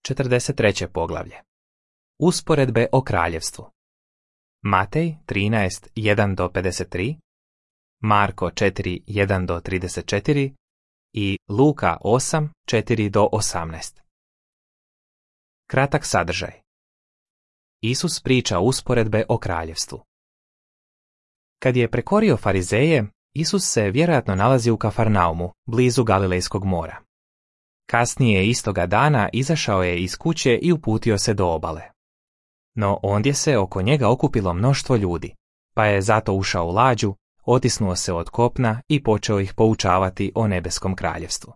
43. poglavlje. Usporedbe o kraljevstvu. Matej 13, 1-53, Marko 4, 1-34 i Luka 8, 4-18. Kratak sadržaj. Isus priča usporedbe o kraljevstvu. Kad je prekorio farizeje, Isus se vjerojatno nalazi u Kafarnaumu, blizu Galilejskog mora. Kasnije istoga dana izašao je iz kuće i uputio se do obale. No ondje se oko njega okupilo mnoštvo ljudi, pa je zato ušao u lađu, otisnuo se od kopna i počeo ih poučavati o nebeskom kraljevstvu.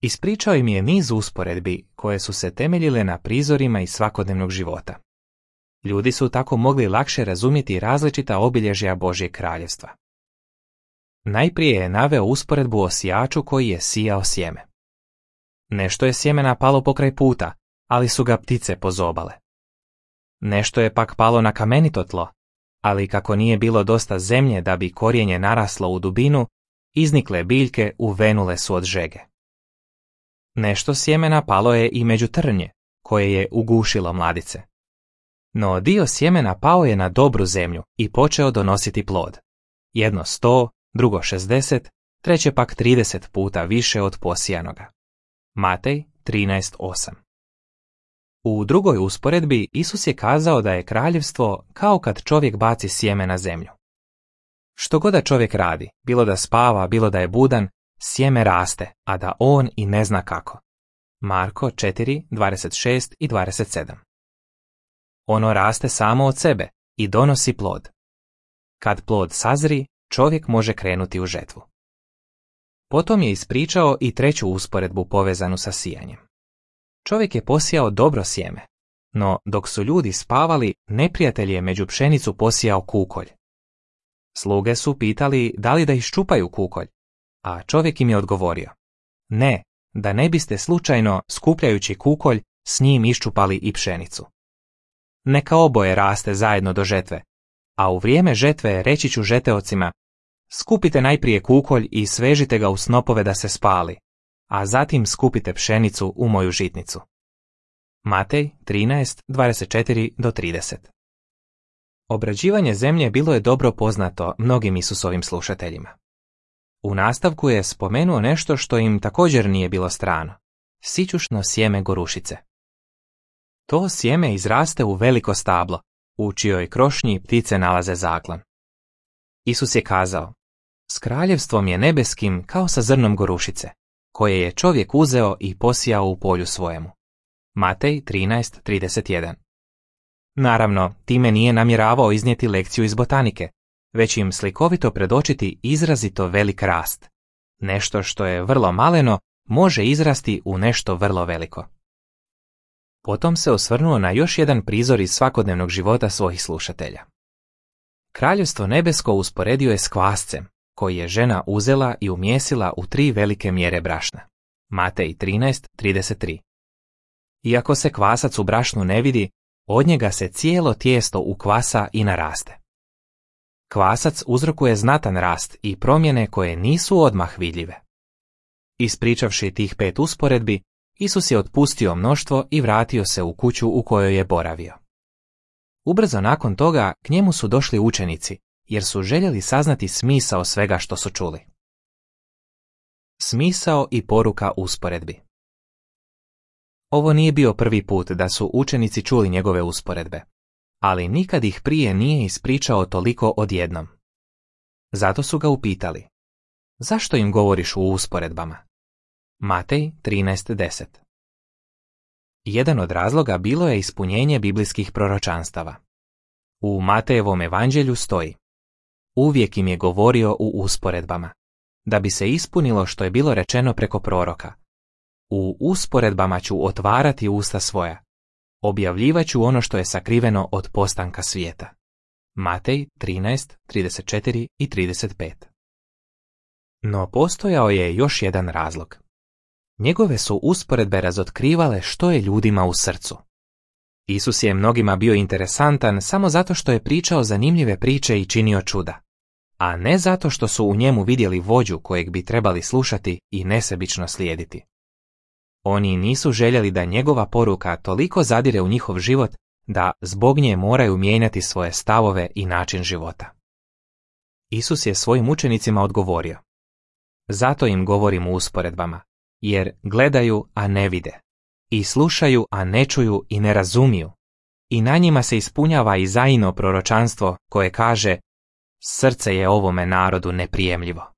Ispričao im je niz usporedbi koje su se temeljile na prizorima iz svakodnevnog života. Ljudi su tako mogli lakše razumjeti različita obilježja Božjeg kraljevstva. Najprije je naveo usporedbu o sijaču koji je sijao sjeme. Nešto je sjemena palo pokraj puta, ali su ga ptice pozobale. Nešto je pak palo na kamenito tlo, ali kako nije bilo dosta zemlje da bi korijenje naraslo u dubinu, iznikle biljke uvenule su od žege. Nešto sjemena palo je i među trnje, koje je ugušilo mladice. No dio sjemena pao je na dobru zemlju i počeo donositi plod. Jedno 100, drugo 60, treće pak 30 puta više od posijanoga. Matej 13:8. U drugoj usporedbi Isus je kazao da je kraljevstvo kao kad čovjek baci sjeme na zemlju. Što god da čovjek radi, bilo da spava, bilo da je budan, sjeme raste, a da on i ne zna kako. Marko 4:26-27. Ono raste samo od sebe i donosi plod. Kad plod sazri, čovjek može krenuti u žetvu. Potom je ispričao i treću usporedbu povezanu sa sijanjem. Čovjek je posijao dobro sjeme, no dok su ljudi spavali, neprijatelj je među pšenicu posijao kukolj. Sluge su pitali da li da iščupaju kukolj, a čovjek im je odgovorio: ne, da ne biste slučajno, skupljajući kukolj, s njim iščupali i pšenicu. Neka oboje raste zajedno do žetve, a u vrijeme žetve reći ću žeteocima: skupite najprije kukolj i svežite ga u snopove da se spali, a zatim skupite pšenicu u moju žitnicu. Matej 13:24-30. Obrađivanje zemlje bilo je dobro poznato mnogim Isusovim slušateljima. U nastavku je spomenuo nešto što im također nije bilo strano: sićušno sjeme gorušice. To sjeme izraste u veliko stablo, u čijoj krošnji ptice nalaze zaklon. Isus je kazao: s kraljevstvom je nebeskim kao sa zrnom gorušice, koje je čovjek uzeo i posijao u polju svojemu. Matej 13:31. Naravno, time nije namjeravao iznijeti lekciju iz botanike, već im slikovito predočiti izrazito velik rast. Nešto što je vrlo maleno može izrasti u nešto vrlo veliko. Potom se osvrnuo na još jedan prizor iz svakodnevnog života svojih slušatelja. Kraljevstvo nebesko usporedio je s kvascem, koji je žena uzela i umjesila u 3 velike mjere brašna. Matej 13:33. Iako se kvasac u brašnu ne vidi, od njega se cijelo tijesto ukvasa i naraste. Kvasac uzrokuje znatan rast i promjene koje nisu odmah vidljive. Ispričavši tih 5 usporedbi, Isus je otpustio mnoštvo i vratio se u kuću u kojoj je boravio. Ubrzo nakon toga k njemu su došli učenici, jer su željeli saznati smisao svega što su čuli. Smisao i poruka usporedbi. Ovo nije bio prvi put da su učenici čuli njegove usporedbe, ali nikad ih prije nije ispričao toliko odjednom. Zato su ga upitali: zašto im govoriš u usporedbama? Matej 13:10. Jedan od razloga bilo je ispunjenje biblijskih proročanstava. U Matejevom evanđelju stoji: uvijek im je govorio u usporedbama, da bi se ispunilo što je bilo rečeno preko proroka: u usporedbama ću otvarati usta svoja, objavljivaću ono što je sakriveno od postanka svijeta. Matej 13:34-35. No postojao je još jedan razlog. Njegove su usporedbe razotkrivale što je ljudima u srcu. Isus je mnogima bio interesantan samo zato što je pričao zanimljive priče i činio čuda, a ne zato što su u njemu vidjeli vođu kojeg bi trebali slušati i nesebično slijediti. Oni nisu željeli da njegova poruka toliko zadire u njihov život da zbog nje moraju mijenjati svoje stavove i način života. Isus je svojim učenicima odgovorio: zato im govorim u usporedbama, jer gledaju, a ne vide, i slušaju, a ne čuju i ne razumiju, i na njima se ispunjava Izaino proročanstvo koje kaže: srce je ovome narodu neprijemljivo.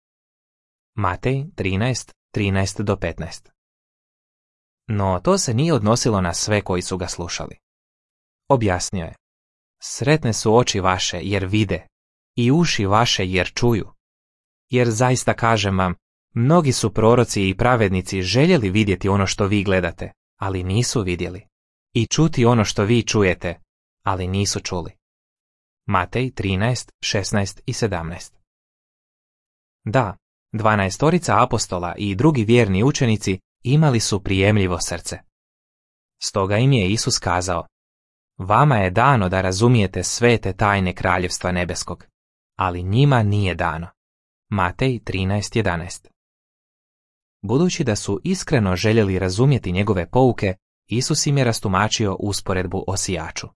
Matej 13:13-15. No to se nije odnosilo na sve koji su ga slušali. Objasnio je: sretne su oči vaše jer vide, i uši vaše jer čuju. Jer zaista kažem vam, mnogi su proroci i pravednici željeli vidjeti ono što vi gledate, ali nisu vidjeli, i čuti ono što vi čujete, ali nisu čuli. Matej 13:16 i 17. Da, 12 apostola i drugi vjerni učenici imali su prijemljivo srce. Stoga im je Isus kazao: vama je dano da razumijete sve te tajne kraljevstva nebeskog, ali njima nije dano. Matej 13:11. Budući da su iskreno željeli razumjeti njegove pouke, Isus im je rastumačio usporedbu o sijaču.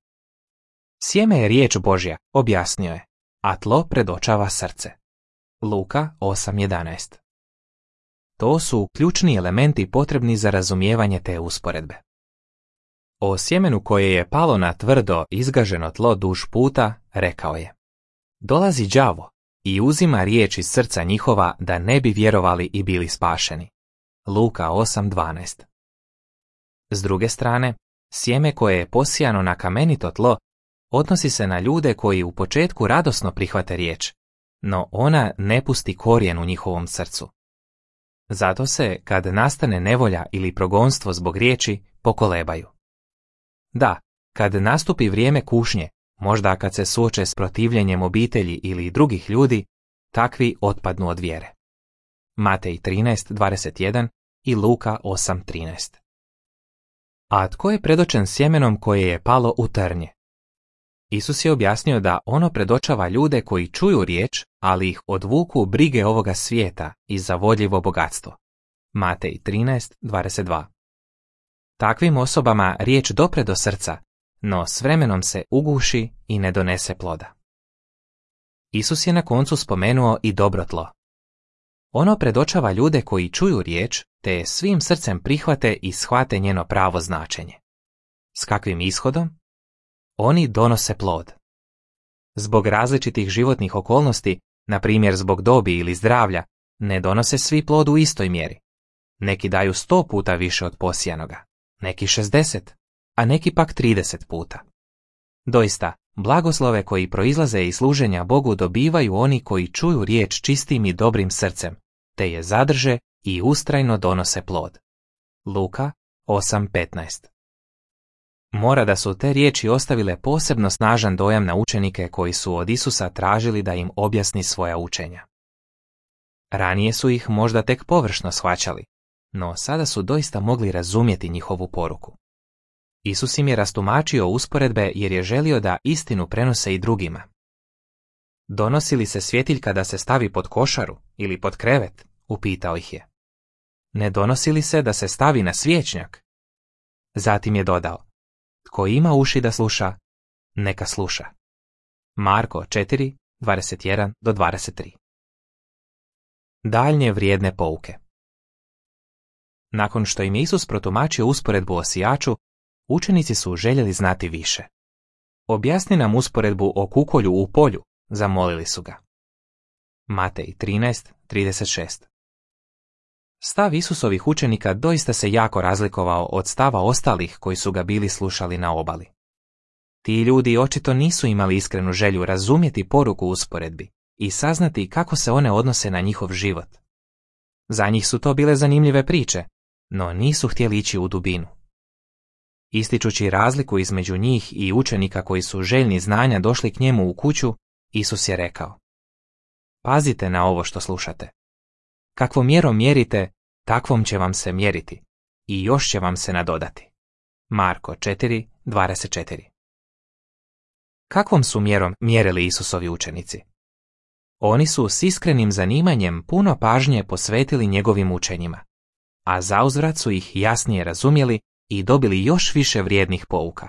Sjeme je riječ Božja, objasnio je, a tlo predočava srce. Luka 8:11. To su ključni elementi potrebni za razumijevanje te usporedbe. O sjemenu koje je palo na tvrdo izgaženo tlo duž puta, rekao je: dolazi đavo i uzima riječ iz srca njihova da ne bi vjerovali i bili spašeni. Luka 8:12. S druge strane, sjeme koje je posijano na kamenito tlo odnosi se na ljude koji u početku radosno prihvate riječ, no ona ne pusti korijen u njihovom srcu. Zato se, kad nastane nevolja ili progonstvo zbog riječi, pokolebaju. Da, kad nastupi vrijeme kušnje, možda kad se suoče s protivljenjem obitelji ili drugih ljudi, takvi otpadnu od vjere. Matej 13:21 i Luka 8:13. A tko je predočen sjemenom koje je palo u trnje? Isus je objasnio da ono predočava ljude koji čuju riječ, ali ih odvuku brige ovoga svijeta i zavodljivo bogatstvo. Matej 13:22. Takvim osobama riječ dopre do srca, no s vremenom se uguši i ne donese ploda. Isus je na koncu spomenuo i dobro tlo. Ono predočava ljude koji čuju riječ, te je svim srcem prihvate i shvate njeno pravo značenje. S kakvim ishodom? Oni donose plod. Zbog različitih životnih okolnosti, na primjer zbog dobi ili zdravlja, ne donose svi plod u istoj mjeri. Neki daju 100 puta više od posijanoga, neki 60, a neki pak 30 puta. Doista, blagoslove koji proizlaze iz služenja Bogu dobivaju oni koji čuju riječ čistim i dobrim srcem, te je zadrže i ustrajno donose plod. Luka 8:15. Mora da su te riječi ostavile posebno snažan dojam na učenike koji su od Isusa tražili da im objasni svoja učenja. Ranije su ih možda tek površno shvaćali, no sada su doista mogli razumjeti njihovu poruku. Isus im je rastumačio usporedbe jer je želio da istinu prenose i drugima. Donosi li se svjetiljka da se stavi pod košaru ili pod krevet? Upitao ih je. Ne donosi li se da se stavi na svječnjak? Zatim je dodao: tko ima uši da sluša, neka sluša. Marko 4:21-23. Daljnje vrijedne pouke. Nakon što im je Isus protumačio usporedbu o sijaču, učenici su željeli znati više. Objasni nam usporedbu o kukolju u polju, zamolili su ga. Matej 13:36. Stav Isusovih učenika doista se jako razlikovao od stava ostalih koji su ga bili slušali na obali. Ti ljudi očito nisu imali iskrenu želju razumjeti poruku usporedbi i saznati kako se one odnose na njihov život. Za njih su to bile zanimljive priče, no nisu htjeli ići u dubinu. Ističući razliku između njih i učenika koji su željni znanja došli k njemu u kuću, Isus je rekao: pazite na ovo što slušate. Kakvom mjerom mjerite, takvom će vam se mjeriti i još će vam se nadodati. Marko 4:24. Kakvom su mjerom mjerili Isusovi učenici? Oni su s iskrenim zanimanjem puno pažnje posvetili njegovim učenjima. a zauzvrat su ih jasnije razumjeli i dobili još više vrijednih pouka.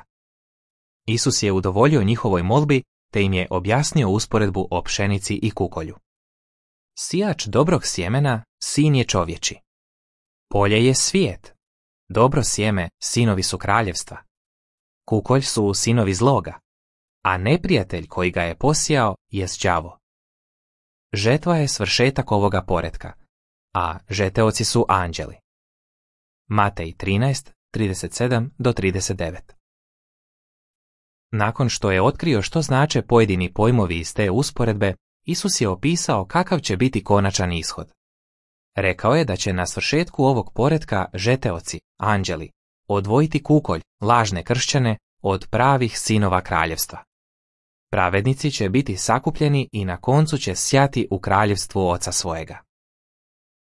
Isus je udovoljio njihovoj molbi te im je objasnio usporedbu o pšenici i kukolju. Sijač dobrog sjemena, sin je čovječi. Polje je svijet. Dobro sjeme, sinovi su kraljevstva. Kukolj su sinovi zloga, a neprijatelj koji ga je posijao jest đavo. Žetva je svršetak ovoga poretka, a žeteoci su anđeli. Matej 13, 37-39. Nakon što je otkrio što znače pojedini pojmovi iz te usporedbe, Isus je opisao kakav će biti konačan ishod. Rekao je da će na svršetku ovog poretka žeteoci, anđeli, odvojiti kukolj, lažne kršćane, od pravih sinova kraljevstva. Pravednici će biti sakupljeni i na koncu će sjati u kraljevstvu oca svojega.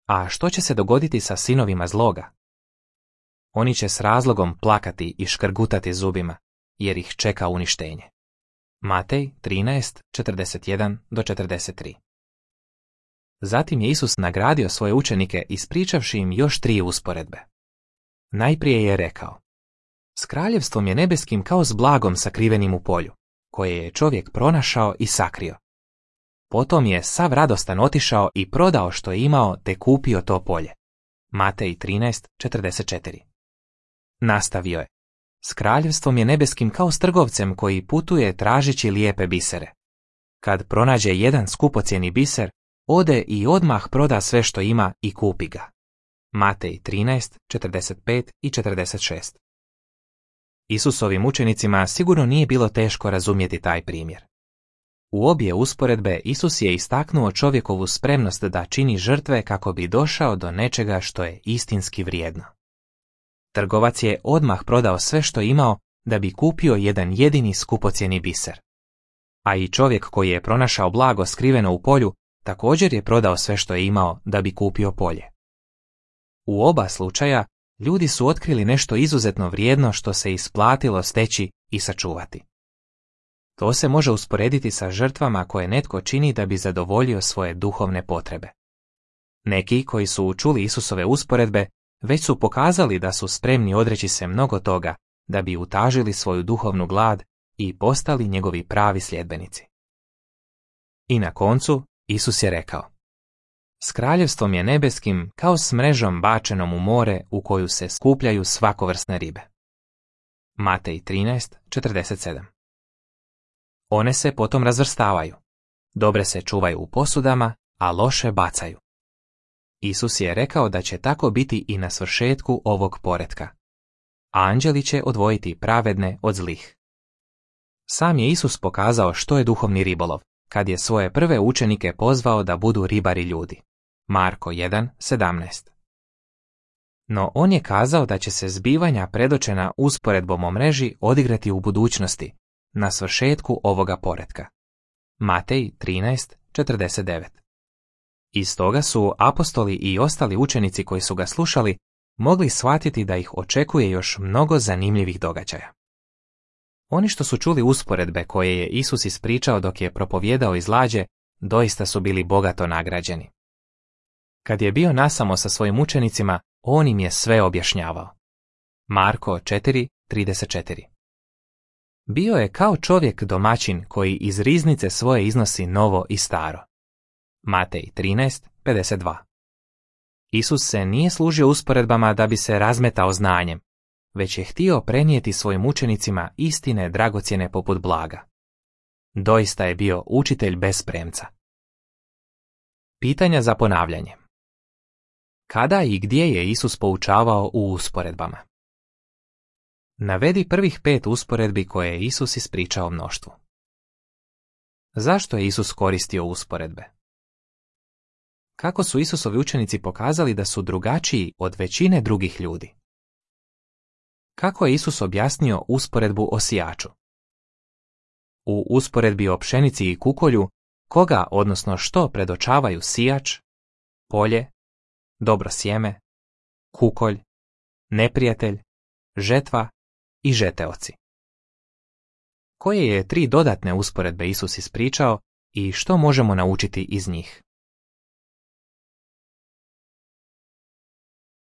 A što će se dogoditi sa sinovima zloga? Oni će s razlogom plakati i škrgutati zubima, jer ih čeka uništenje. Matej 13, 41-43. Zatim je Isus nagradio svoje učenike ispričavši im još 3 usporedbe. Najprije je rekao: S kraljevstvom je nebeskim kao s blagom sakrivenim u polju, koje je čovjek pronašao i sakrio. Potom je sav radostan otišao i prodao što je imao te kupio to polje. Matej 13, 44. Nastavio je: S kraljevstvom je nebeskim kao s trgovcem koji putuje tražeći lijepe bisere. Kad pronađe jedan skupocjeni biser, ode i odmah proda sve što ima i kupi ga. Matej 13, 45 i 46. Isusovim učenicima sigurno nije bilo teško razumjeti taj primjer. U obje usporedbe Isus je istaknuo čovjekovu spremnost da čini žrtve kako bi došao do nečega što je istinski vrijedno. Trgovac je odmah prodao sve što imao da bi kupio jedan jedini skupocjeni biser. A i čovjek koji je pronašao blago skriveno u polju također je prodao sve što je imao da bi kupio polje. U oba slučaja ljudi su otkrili nešto izuzetno vrijedno što se isplatilo steći i sačuvati. To se može usporediti sa žrtvama koje netko čini da bi zadovoljio svoje duhovne potrebe. Neki koji su čuli Isusove usporedbe već su pokazali da su spremni odreći se mnogo toga da bi utažili svoju duhovnu glad i postali njegovi pravi sljedbenici. I na koncu Isus je rekao: S kraljevstvom je nebeskim kao s mrežom bačenom u more u koju se skupljaju svakovrsne ribe. Matej 13, 47. One se potom razvrstavaju. Dobre se čuvaju u posudama, a loše bacaju. Isus je rekao da će tako biti i na svršetku ovog poretka. Anđeli će odvojiti pravedne od zlih. Sam je Isus pokazao što je duhovni ribolov, kad je svoje prve učenike pozvao da budu ribari ljudi. Marko 1, 17. No on je kazao da će se zbivanja predočena usporedbom o mreži odigrati u budućnosti, na svršetku ovoga poretka. Matej 13, 49. Iz toga su apostoli i ostali učenici koji su ga slušali mogli shvatiti da ih očekuje još mnogo zanimljivih događaja. Oni što su čuli usporedbe koje je Isus ispričao dok je propovijedao iz lađe, doista su bili bogato nagrađeni. Kad je bio nasamo sa svojim učenicima, on im je sve objašnjavao. Marko 4, 34. Bio je kao čovjek domaćin koji iz riznice svoje iznosi novo i staro. Matej 13, 52. Isus se nije služio usporedbama da bi se razmetao znanjem, već je htio prenijeti svojim učenicima istine dragocjene poput blaga. Doista je bio učitelj bez premca. Pitanja za ponavljanje. Kada i gdje je Isus poučavao u usporedbama? Navedi prvih 5 usporedbi koje je Isus ispričao mnoštvu. Zašto je Isus koristio usporedbe? Kako su Isusovi učenici pokazali da su drugačiji od većine drugih ljudi? Kako je Isus objasnio usporedbu o sijaču? U usporedbi o pšenici i kukolju, koga, odnosno što predočavaju sijač, polje, dobro sjeme, kukolj, neprijatelj, žetva i žeteoci? Koje je 3 dodatne usporedbe Isus ispričao i što možemo naučiti iz njih?